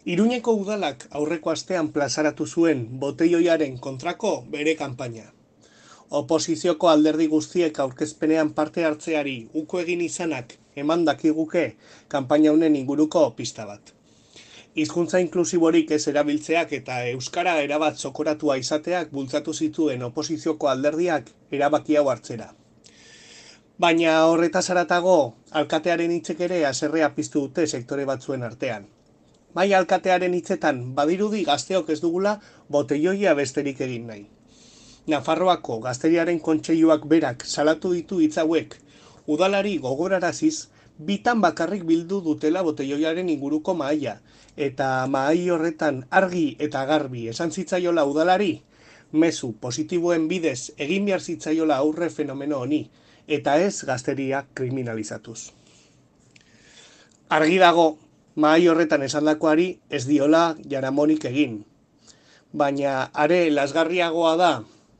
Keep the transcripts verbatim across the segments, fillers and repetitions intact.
Iruñeko udalak aurreko astean plazaratu zuen botelloiaren kontrako bere kanpaina. Oposizioko alderdi guztiek aurkezpenean parte hartzeari uko egin izanak eman dakiguke kanpaina honen inguruko pista bat. Hizkuntza inklusiborik ez erabiltzeak eta euskara erabat zokoratua izateak bultzatu zituen oposizioko alderdiak erabaki hau hartzera. Baina horretaz haratago, alkatearen hitzek ere haserrea piztu dute sektore batzuen artean. Bai alkatearen hitzetan badirudi gazteok ez dugula botelloia besterik egin nahi. Nafarroako Gazteriaren Kontseiluak berak salatu ditu hitz hauek, udalari gogoraraziz, bitan bakarrik bildu dutela botelloiaren inguruko mahaia, eta mahai horretan argi eta garbi esan zitzaiola udalari, mezu positiboen bidez egin behar zitzaiola aurre fenomeno honi, eta ez gazteria kriminalizatuz. Argi dago, mahai horretan esandakoari ez diola jaramonik egin. Baina are lasgarriagoa da,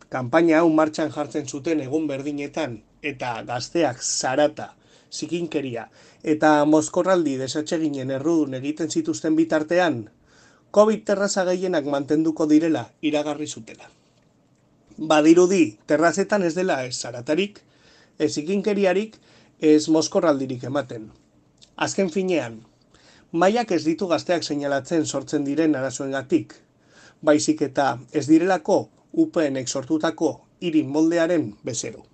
kanpaina hau martxan jartzen zuten egun berdinetan, eta gazteak zarata, zikinkeria, eta mozkorraldi desatseginen errudun egiten zituzten bitartean, COVID terraza gehienak mantenduko direla iragarri zutela. Badirudi, terrazetan ez dela ez zaratarik, ez zikinkeriarik, ez mozkorraldirik ematen. Azken finean, mahaiak ez ditu gazteak seinalatzen sortzen diren arazoengatik, baizik eta ez direlako U P Nek sortutako hiri moldearen bezero.